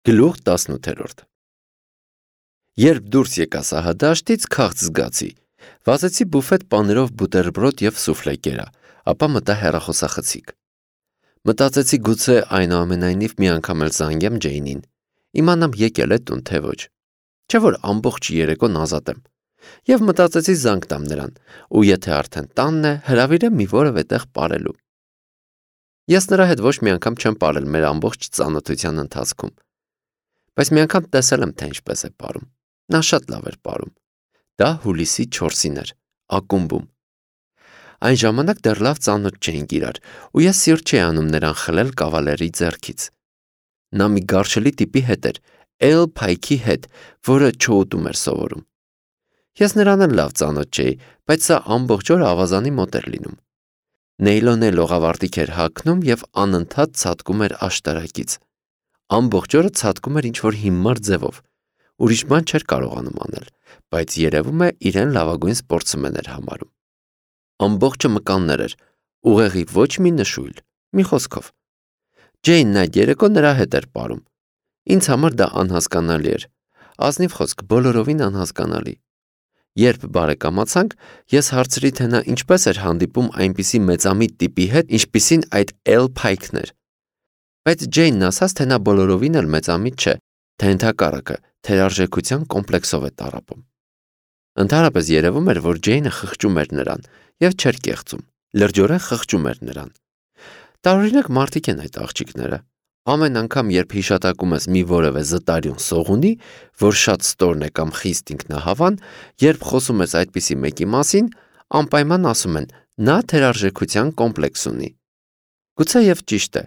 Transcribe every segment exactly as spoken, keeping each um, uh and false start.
Գլուխ տասնութ Երբ դուրս եկա սահադաշտից, քաղց զգացի, վազեցի բուֆետ պաներով բուտերբրոդ և սուֆլե կերա, ապա մտա հեռախոսախցիկ։ Մտածեցի գուցե այնուամենայնիվ մի անգամ էլ զանգեմ Ջեյնին, իմանամ եկել է տուն թե ոչ, չէ որ ամբողջ երեկոն ազատ եմ, և մտածեցի զանգ տամ նրան, ու եթե արդեն տանն է, հրավիրեմ մի որևէ տեղ պարելու։ Ես նրա հետ ոչ մի անգամ չեմ պարել մեր ամբողջ ծանոթության ընթացքում, բայց մի անգամ տեսել եմ, թե ինչպես է պարում։ Նա շատ լավ էր պարում։ Դա հուլիսի չորսին էր, ակումբում։ Այն ժամանակ դեռ լավ ծանոթ չէինք իրար, ու ես սիրտ չէի անում նրան խլել կավալերի ձեռքից։ Նա մի գարշելի տիպի հետ էր, Էլ Փայքի հետ, որը չօուտում էր սովորում։ Ես նրան էլ լավ ծանոթ չէի, բայց սա ամբողջ օրը ավազանի մոտ էր լինում։ Նեյլոնե լողավարտիք էր հագնում և անընդհատ ցատկում էր աշտարակից։ Ամբողջ օրը ցատկում էր ինչ-որ հիմար ձևով, ուրիշ բան չէր կարողանում անել, բայց երևում է իրեն լավագույն սպորտսմեն էր համարում։ Ամբողջը մկաններ էր, ուղեղի ոչ մի նշույլ, մի խոսքով։ Ջեյնն այդ երեկո նրա հետ էր պարում։ Ինձ համար դա անհասկանալի էր, ազնիվ խոսք, բոլորովին անհասկանալի։ Երբ բարեկամացանք, ես հարցրի, թե նա ինչպես էր հանդիպում այնպիսի մեծամիտ տիպի հետ, ինչպիսին այդ Էլ Փայքն էր։ Բայց Ջեյնն ասաց, թե նա բոլորովին էլ մեծամիտ չէ, թե ընդհակառակը թերարժեքության կոմպլեքսով է տառապում։ Ընդհանրապես երևում էր, որ Ջեյնը խղճում էր նրան և չէր կեղծում, լրջորեն խղճում էր նրան։ Տարօրինակ մարդիկ են այդ աղջիկները։ Ամեն անգամ, երբ հիշատակում ես մի որևէ զտարյուն սողունի, որ շատ ստորն է կամ խիստ ինքնահավան, երբ խոսում ես այդպիսի մեկի մասին, անպայման ասում են, նա թերարժեքության կոմպլեքս ունի։ Գուցե և ճիշտ է,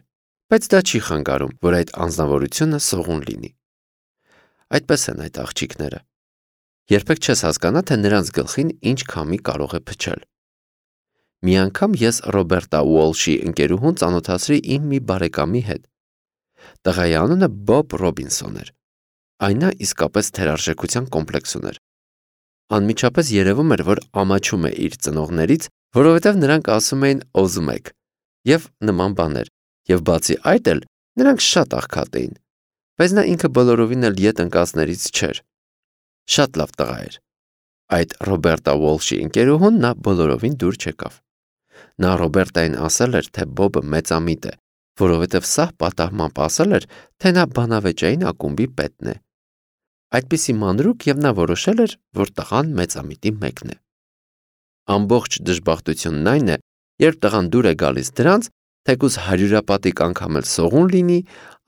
բայց դա չի խանգարում, որ այդ անձնավորությունը սողուն լինի։ Այդպես են այդ աղջիկները։ Երբեք չես հասկանա, թե նրանց գլխին ինչ քամի կարող է փչել։ Մի անգամ ես Ռոբերտա Ուոլշի ընկերուհուն ծանոթացրի իմ մի բարեկամի հետ։ Տղայի անունը Բոբ Ռոբինսոն էր։ Այն նա իսկապես թերարժեքության կոմպլեքս ուներ։ Անմիջապես երևում էր, որ ամաչում է իր ծնողներից, որովհետև նրանք ասում էին «օզում եք» և նման բաներ, և բացի այդ էլ նրանք շատ աղքատ էին, բայց նա ինքը բոլորովին էլ ետ ընկածներից չէր։ Շատ լավ տղա էր։ Այդ Ռոբերտա Ուոլշի ընկերուհուն նա բոլորովին դուր չեկավ։ Նա Ռոբերտային ասել էր, թե Բոբը մեծամիտ է, որովհետև սահ պատահմամբ ասել էր, թե նա բանավեճային ակումբի պետն է։ Այդպիսի մանրուք և նա որոշել էր, որ տղան մեծամիտի մեկն է։ Ամբողջ դժբախտությունն այն է, երբ տղան դուր է գալիս դրանց, թեկուզ հարյուրապատիկ անգամ էլ սողուն լինի,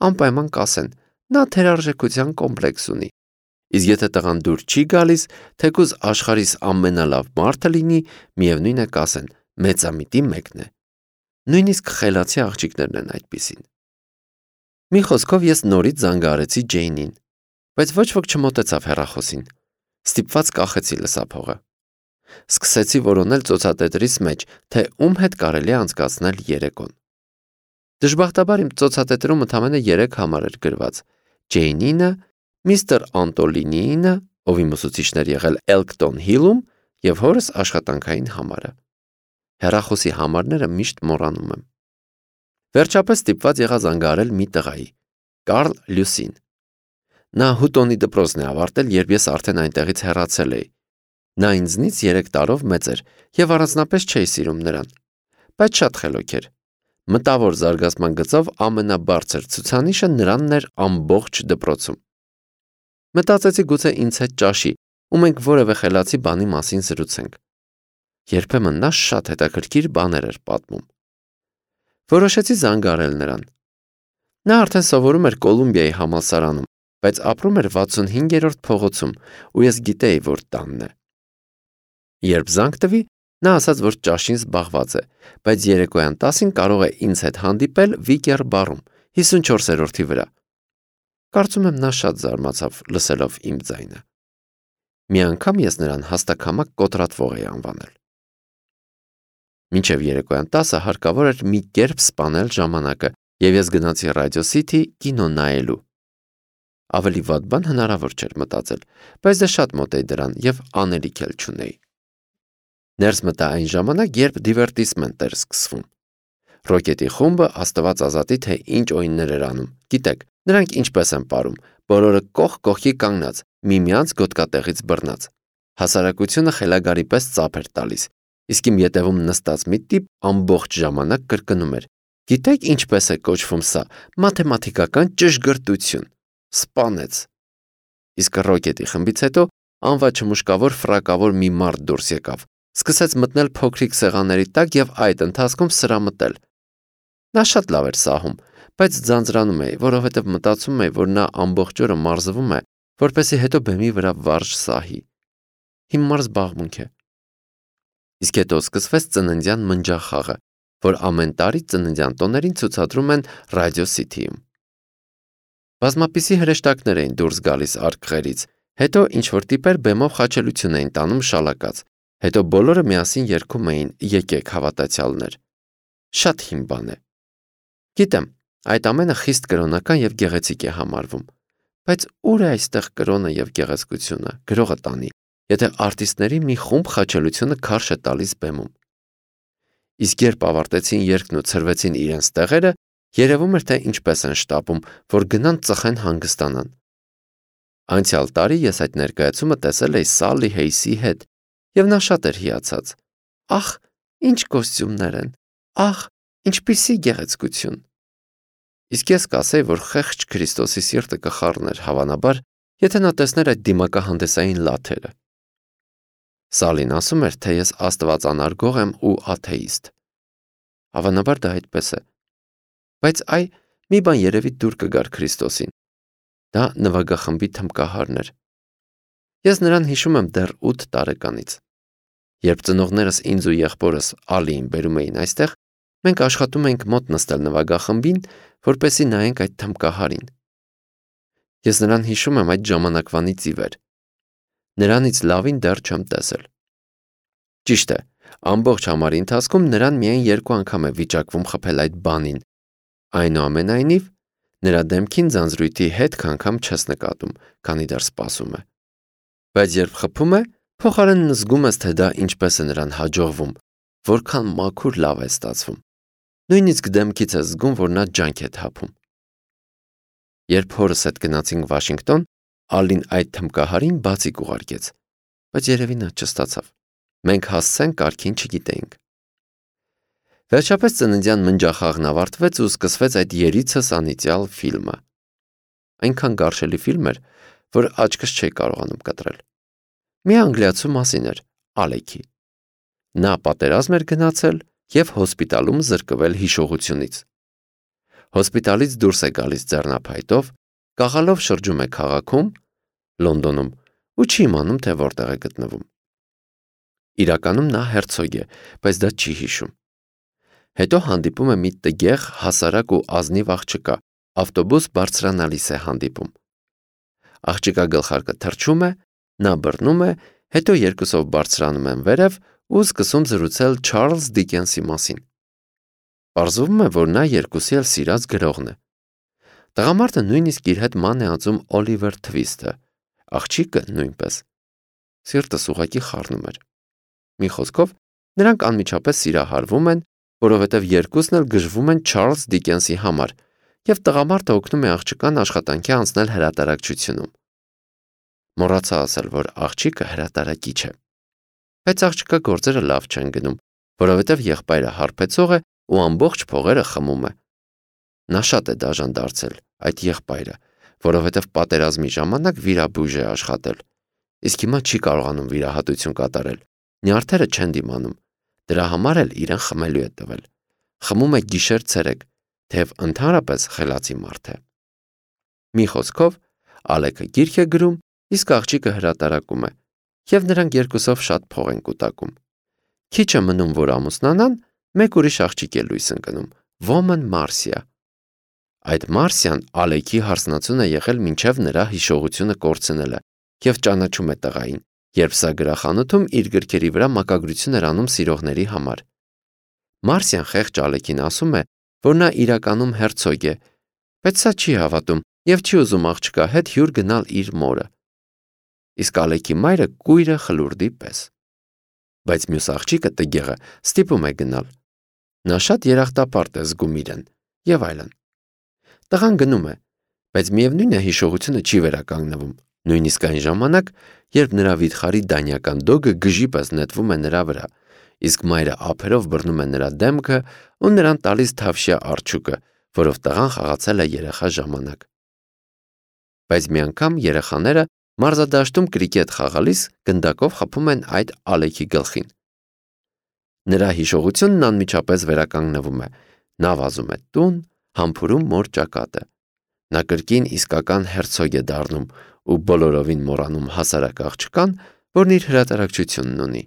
անպայման կասեն, նա թերարժեքության կոմպլեքս ունի։ Իսկ եթե տղան դուր չի գալիս, թեկուզ աշխարհիս ամենալավ մարդը լինի, միևնույն է կասեն, մեծամիտի մեկն է։ Նույնիսկ խելացի աղջիկներն են այդպիսին։ Մի խոսքով ես նորից զանգահարեցի Ջեյնին, բայց ոչ ոք չմոտեցավ հեռախոսին։ Ստիպված կախեցի լսափողը։ Սկսեցի որոնել ծոցատետրիս մեջ, թե ում հետ կարելի է անցկացնել երեկոն։ Դժբախտաբար իմ ծոցատետրում ընդամենը երեք համար էր գրված. Ջեյնինը, միստր Անտոլինինը, ով իմ ուսուցիչն էր եղել Էլկտոն Հիլում, և հորս աշխատանքային համարը։ Հեռախոսի համարները միշտ մոռանում եմ։ Վերջապես ստիպված եղա զանգահարել մի տղայի, Կարլ Լյուսին։ Նա Հուտոնի դպրոցն է ավարտել, երբ ես արդեն այնտեղից հեռացել էի։ Նա ինձնից երեք տարով մեծ էր և առանձնապես չէի սիրում նրան, բայց շատ խելոք էր։ Մտավոր զարգացման գծով ամենաբարձր ցուցանիշը նրանն էր ամբողջ դպրոցում։ Մտածեցի գուցե ինձ հետ ճաշի, ու մենք որևէ խելացի բանի մասին զրուցենք։ Երբեմն նա շատ հետաքրքիր բաներ էր պատմում։ Որոշեցի զանգահարել նրան։ Նա արդեն սովորում էր Կոլումբիայի համալսարանում, բայց ապրում էր վաթսունհինգերորդ փողոցում, ու ես գիտեի, որ տանն է։ Երբ զանգ տվի, նա ասաց, որ ճաշին զբաղված է, բայց երեկոյան տասին կարող է ինձ հետ հանդիպել Վիկեր բարում, հիսունչորսերորդի վրա։ Կարծում եմ նա շատ զարմացավ լսելով իմ ձայնը։ Մի անգամ ես նրան հաստակամակ կոտրատվող էի անվանել։ Մինչև երեկոյան տասը հարկավոր էր մի կերպ սպանել ժամանակը, և ես գնացի Ռադիո Սիթի կինո նայելու։ Ավելի վատ բան հնարավոր չէր մտածել, բայց դե շատ մոտ էի դրան և անելիք էլ չունեի։ Ներս մտա այն ժամանակ, երբ դիվերտիսմենտ էր սկսվում։ Ռոկետի խումբը աստված ազատի, թե ինչ օյններ էր անում, գիտեք, Նրանք ինչպես են ապրում, բոլորը կողք կողքի կանգնած, միմյանց գոտկատեղից բռնած։ Հասարակությունը խելագարի պես ծափ էր տալիս, իսկ իմ ետևում նստած մի տիպ ամբողջ ժամանակ կրկնում էր. «Գիտեք ինչպես է կոչվում սա, մաթեմատիկական ճշգրտություն»։ Սպանեց։ Իսկ ռոկետի խմբից հետո անվաչմուշկավոր ֆրակավոր մի մարդ դուրս եկավ, սկսեց մտնել փոքրիկ սեղանների տակ եւ այդ ընթացքում սրամտել։ Նա շատ լավ էր սահում, բայց ձանձրանում էի, որովհետեւ մտածում էի, որ նա ամբողջ օրը մարզվում է, որպեսզի հետո բեմի վրա վարժ սահի։ Հիմար զբաղմունք է։ Իսկ հետո սկսվեց ծննդյան մնջախաղը, որ ամեն տարի ծննդյան տոներին ցուցադրում են Ռադիո Սիթիում։ Բազմապիսի հրեշտակներ էին դուրս գալիս արկղերից, հետո ինչ-որ տիպեր բեմով խաչելություն էին տանում շալակած, հետո բոլորը միասին երգում էին «Եկեք հավատացյալներ»։ Շատ հիմ բան է։ Գիտեմ, այդ ամենը խիստ կրոնական եւ գեղեցիկ է համարվում, բայց ուր է այստեղ կրոնը եւ գեղեցկությունը, գրողը տանի, եթե արտիստների մի խումբ խաչելությունը քարշ է տալիս բեմում։ Իսկ երբ ավարտեցին երգն ու ցրվեցին իրենց տեղերը, երևում էր, թե ինչպես են շտապում, որ գնան ծխեն հանգստանան։ Անցյալ տարի ես այդ ներկայացումը տեսել էի Սալլի Հեյսի հետ, եւ նա շատ էր հիացած։ Ախ, ինչ կոստյումներ են։ Ախ, ինչպիսի գեղեցկություն։ Իսկ ես կասեի, որ խեղճ Քրիստոսի սիրտը կխառներ, հավանաբար, եթե նա տեսներ այդ դիմակահանդեսային լաթերը։ Սալին ասում էր, թե ես աստվածանարգող եմ ու աթեիստ։ Հավանաբար դա այդպես է։ Բայց այ մի բան երևի դուր կգար Քրիստոսին։ Դա նվագախմբի թմբկահարն էր։ Ես նրան հիշում եմ դեռ ութ տարեկանից։ Երբ ծնողներս ինձ ու եղբորս Ալիին բերում էին այստեղ, մենք աշխատում էինք մոտ նստել նվագախմբին, որպեսզի նայենք այդ թմբկահարին։ Ես նրան հիշում եմ այդ ժամանակվանից ի վեր։ Նրանից լավին դեռ չեմ տեսել։ Ճիշտ է, ամբողջ համարի ընթացքում նրան միայն երկու անգամ է վիճակվում խփել այդ բանին։ Այնուամենայնիվ, նրա դեմքին ձանձրույթի հետք անգամ չես նկատում, քանի դեռ սպասում է։ Բայց երբ խփում է, փոխարենն զգում ես, թե դա ինչպես է նրան հաջողվում, որքան մաքուր լավ է ստացվում։ Նույնիսկ դեմքից ես զգում, որ նա ջանք է թափում։ Երբ հորս հետ գնացինք Վաշինգտոն, Ալին այդ թմբկահարին բացիկ ուղարկեց, բայց երևի նա չստացավ։ Մենք հասցեն կարգին չգիտեինք։ Վերջապես ծննդյան մնջախաղն ավարտվեց ու սկսվեց այդ երիցս անիծյալ ֆիլմը։ Այնքան գարշելի ֆիլմ էր, որ աչքս չէի կարողանում կտրել։ Մի անգլիացու մասին էր, Ալեքի։ Նա պատերազմ էր գնացել եւ հոսպիտալում զրկվել հիշողությունից։ Հոսպիտալից դուրս է գալիս ձեռնափայտով, կաղալով շրջում է քաղաքում, Լոնդոնում, ու չի իմանում, թե որտեղ է գտնվում։ Իրականում նա հերցոգ է, բայց դա չի հիշում։ Հետո հանդիպում է մի տգեղ, հասարակ ու ազնիվ աղջկա, ավտոբուս բարձրանալիս է հանդիպում։ Աղջկա գլխարկը թռչում է, նա բռնում է, հետո երկուսով բարձրանում են վերև ու սկսում զրուցել Չարլզ Դիկենսի մասին։ Պարզվում է, որ նա երկուսի էլ սիրած գրողն է։ Տղամարդը նույնիսկ իր հետ ման է ածում Օլիվեր Թվիստը, աղջիկը նույնպես։ Սիրտս ուղղակի խառնում էր։ Մի խոսքով, նրանք անմիջապես սիրահարվում են, որովհետև երկուսն էլ գժվում են Չարլզ Դիկենսի համար, եւ տղամարդը օգնում է աղջկան աշխատանքի անցնել հրատարակչությունում։ Մոռացա ասել, որ աղջիկը հրատարակիչ է։ Բայց աղջկա գործերը լավ չեն գնում, որովհետև եղբայրը հարբեցող է ու ամբողջ փողերը խմում է։ Նա շատ է դաժան դարձել, այդ եղբայրը, որովհետև պատերազմի ժամանակ վիրաբույժ է աշխատել, իսկ հիմա չի կարողանում վիրահատություն կատարել։ Նյարդերը չեն դիմանում, դրա համար էլ իրեն խմելու է տվել։ Խմում է գիշեր-ցերեկ, թեև ընդհանրապես խելացի մարդ է։ Մի խոսքով, Ալեքը գիրք է գրում, իսկ աղջիկը հրատարակում է, եւ նրանք երկուսով շատ փող են կուտակում։ Քիչ է մնում, որ ամուսնանան, մեկ ուրիշ աղջիկ է լույս ընկնում, Ոմն Մարսիա։ Այդ Մարսիան Ալեքի հարսնացուն է եղել մինչև նրա հիշողությունը կորցնելը եւ ճանաչում է տղային, երբ սա գրախանութում իր գրքերի վրա մակագրություն էր անում սիրողների համար։ Մարսիան խեղճ Ալեքին ասում է, որ նա իրականում հերցոգ է, բայց սա չի հավատում եւ չի ուզում աղջկա հետ հյուր գնալ իր մորը։ Իսկ Ալեքի մայրը կույրը խլուրդի պես։ Բայց մյուս աղջիկը տգեղը ստիպում է գնալ։ Նա շատ երախտապարտ է զգում իրեն եւ այլն։ Տղան գնում է, Բայց միևնույն է հիշողությունը չի վերականգնվում, նույնիսկ այն ժամանակ, երբ նրա վիթխարի դանյական դոգը գժի պես նետվում է նրա վրա, իսկ մայրը ափերով բռնում է նրա դեմքը ու նրան տալիս թավշյա արջուկը, որով տղան խաղացել է երեխա ժամանակ։ Բայց մի անգամ երեխաները մարզադաշտում կրիկետ խաղալիս գնդակով խփում են այդ Ալեքի գլխին։ Նրա հիշողությունն անմիջապես վերականգնվում է, նա վազում է տուն, համբուրում մոր ճակատը։ Նա կրկին իսկական հերցոգ է դառնում ու բոլորովին մոռանում հասարակ աղջկան, որն իր հրատարակչությունն ունի։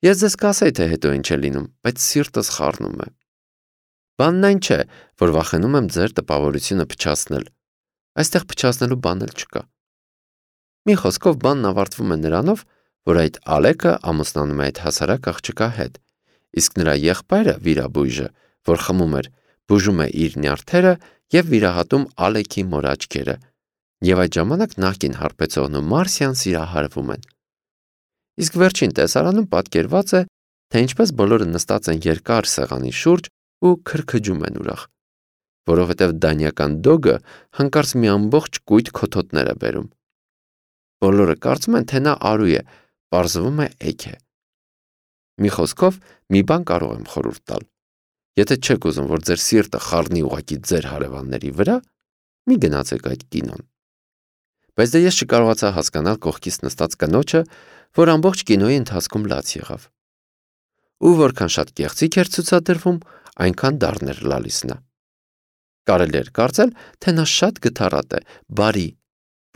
Ես ձեզ կասեի, թե հետո ինչ է լինում, բայց սիրտս խառնում է։ Բանն այն չէ, որ վախենում եմ ձեր տպավորությունը փչացնել։ Այստեղ փչացնելու բան էլ չկա։ Մի խոսքով բանն ավարտվում է նրանով, որ այդ Ալեքը ամուսնանում է այդ հասարակ աղջկա հետ, իսկ նրա եղբայրը վիրաբույժը, որ խմում էր, բուժում է իր նյարդերը և վիրահատում Ալեքի մոր աչքերը, և այդ ժամանակ նախկին հարբեցողն ու Մարսիան սիրահարվում են։ Իսկ վերջին տեսարանում պատկերված է, թե ինչպես բոլորը նստած են երկար սեղանի շուրջ ու քրքջում են ուրախ, որովհետև դանյական դոգը հանկարծ մի ամբողջ կույտ քոթոթներ է բերում։ Բոլորը կարծում են, թե նա արու է, պարզվում է էգ է։ Մի խոսքով, մի բան կարող եմ խորհուրդ տալ։ Եթե չեք ուզում, որ ձեր սիրտը խառնի ուղղակի ձեր հարևանների վրա, մի գնացեք այդ կինոն։ Բայց դե ես չկարողացա հասկանալ կողքից նստած կնոջը, որ ամբողջ կինոյի ընթացքում լաց եղավ։ Ու որքան շատ կեղծիք էր ցուցադրվում, այնքան դառներ լալիս նա։ Կարելի էր կարծել, թե նա շատ գթառատ է, բարի,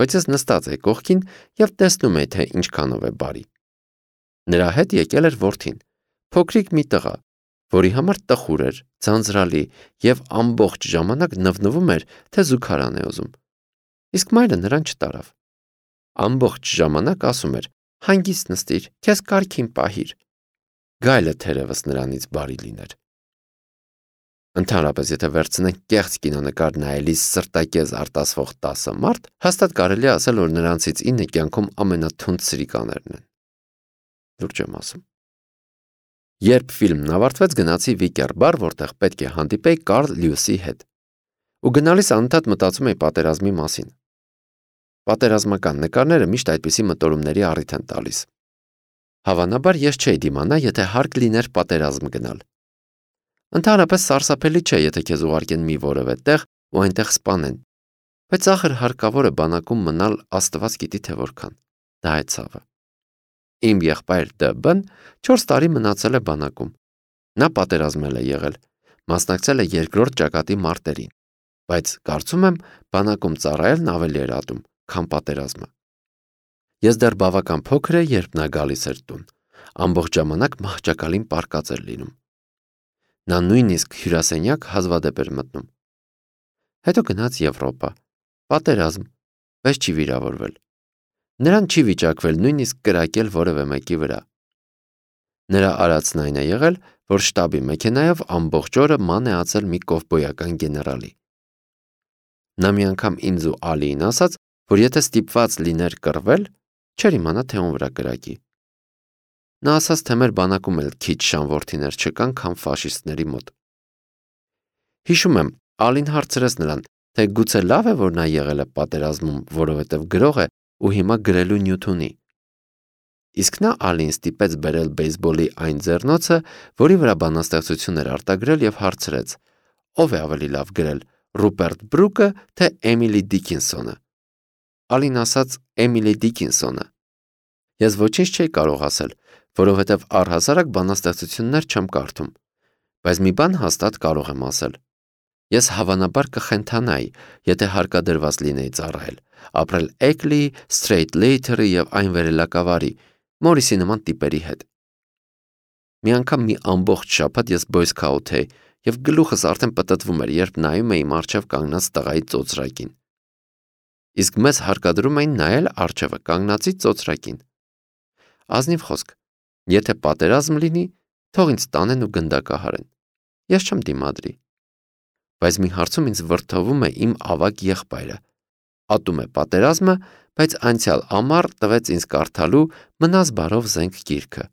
բայց ես նստած էի կողքին և տեսնում էի, թե ինչքանով է բարի։ Նրա հետ եկել էր որդին, փոքրիկ մի տղա, որի համար տխուր էր, ձանձրալի և ամբողջ ժամանակ նվնվում էր, թե զուգարան է ուզում։ Իսկ մայրը նրան չտարավ։ Ամբողջ ժամանակ ասում էր. «Հանգիստ նստիր, քեզ կարգին պահիր»։ Գայլը թերևս նրանից բարի լիներ։ Ընդհանրապես, եթե վերցնենք կեղծ կինոնկար նայելիս սրտակեզ արտասվող տասը մարդ, հաստատ կարելի է ասել, որ նրանցից ինը կյանքում ամենաթունդ սրիկաներն են։ Լուրջ եմ ասում։ Երբ ֆիլմն ավարտվեց, գնացի Վիկեր բար, որտեղ պետք է հանդիպեի Կարլ Լյուիսի հետ։ Ու գնալիս անընդհատ մտածում էի պատերազմի մասին։ Պատերազմական նկարները միշտ այդպիսի մտորումների առիթ են տալիս։ Հավանաբար ես չէի դիմանա, եթե հարկ լիներ պատերազմ գնալ։ Ընդհանրապես սարսափելի չէ, եթե քեզ ուղարկեն մի որևէ տեղ ու այնտեղ սպանեն։ Բայց ախր հարկավոր է բանակում մնալ, Աստված գիտի թե որքան։ Դա է ցավը։ Իմ եղբայր Դ.Բ.-ն չորս տարի մնացել է բանակում։ Նա պատերազմել է եղել, մասնակցել է երկրորդ ճակատի մարտերին, բայց կարծում եմ, բանակում ծառայելն ավելի էր ատում, քան պատերազմը։ Ես դեռ բավական փոքր էի, երբ նա գալիս էր տուն, ամբողջ ժամանակ մահճակալին պառկած էր լինում։ Նա նույնիսկ հյուրասենյակ հազվադեպ էր մտնում։ Հետո գնաց Եվրոպա, պատերազմ, բայց չի վիրավորվել։ Նրան չի վիճակվել նույնիսկ կրակել որևէ մեկի վրա։ Նրա արածն այն է եղել, որ շտաբի մեքենայով ամբողջ օրը ման է ածել մի կովբոյական գեներալի։ Նա մի անգամ ինձ ու Ալիին ասաց, որ եթե ստիպված լիներ կռվել, չէր իմանա, թե ում վրա կրակի։ Նա ասաց, թե մեր բանակում էլ քիչ շանորդիներ չկան, քան ֆաշիստների մոտ։ Հիշում եմ, Ալին հարցրեց նրան, թե գուցե լավ է, որ նա եղել է պատերազմում, որովհետև գրող է ու հիմա գրելու նյութ ունի։ Իսկ նա Ալին ստիպեց բերել բեյսբոլի այն ձեռնոցը, որի վրա բանաստեղծություն էր արտագրել և հարցրեց. ով է ավելի լավ գրել, Ռուպերտ Բրուկը, թե Էմիլի Դիկինսոնը։ Ալին ասաց Էմիլի Դիկինսոնը։ Ես ոչինչ չէի կարող ասել, որովհետև առհասարակ բանաստեղծություններ չեմ կարդում, բայց մի բան հաստատ կարող եմ ասել։ Ես հավանաբար կխենթանայի, եթե հարկադրված լինեի ծառայել, ապրել Էկլի, Սթրեյթլեյթերի և այն վերելակավարի, Մորիսի նման տիպերի հետ։ Մի անգամ մի ամբողջ շաբաթ ես բոյսքաութ էի և գլուխս արդեն պտտվում էր, երբ նայում էի առջև կանգնած տղայի ծոծրակին։ Իսկ մեզ հարկադրում էին նայել առջևը կանգնածի ծոծրակին։ Ազնիվ խոսք, եթե պատերազմ լինի, թող ինձ տանեն ու գնդակահարեն։ Ես չեմ դիմադրի։ Բայց մի հարցում ինձ վրդովում է իմ ավագ եղբայրը։ Ատում է պատերազմը, բայց անցյալ ամառ տվեց ինձ կարդալու Մնաս բարով զենք գիրքը։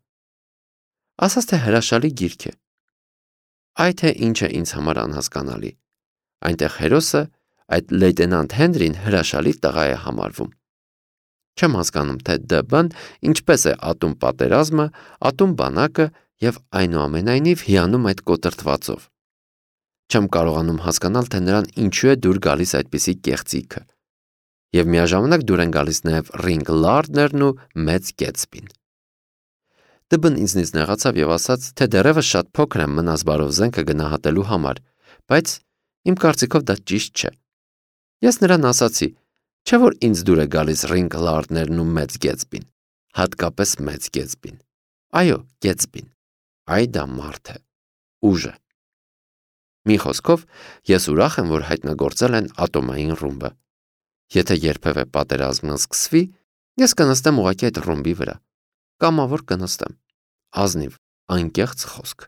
Ասաց, թե հրաշալի գիրք է։ Այ թե ինչ է ինձ համար անհասկանալի։ Այնտեղ հերոսը, այդ լեյտենանտ Հենրին հրաշալի տղա է համարվում։ Չեմ հասկանում, թե ԴԲ-ն ինչպես է ատում պատերազմը, ատում բանակը եւ այնուամենայնիվ հիանում այդ կոտրտվածով։ Չեմ կարողանում հասկանալ, թե նրան ինչու է դուր գալիս այդպիսի կեղծիքը։ Եվ միաժամանակ դուր են գալիս նաև Ռինգ Լարդներն ու Մեծ Գետսբին։ ԴԲ-ն ինձնից նեղացավ եւ ասաց, թե դեռևս շատ փոքր եմ մնաս բարով զենքը գնահատելու համար, բայց իմ կարծիքով դա ճիշտ չէ։ Ես նրան ասացի, չէ որ ինձ դուր է գալիս Ռինգ Լարդներն ու Մեծ Գետսբին, հատկապես Մեծ Գետսբին։ Այո, Գետսբին։ Այ դա մարդ է, ուժ է։ Մի խոսքով, ես ուրախ եմ, որ հայտնագործել են ատոմային ռումբը։ Եթե երբևէ պատերազմը սկսվի, ես կնստեմ ուղղակի այդ ռումբի վրա։ Կամավոր կնստեմ։ Ազնիվ, անկեղծ խոսք։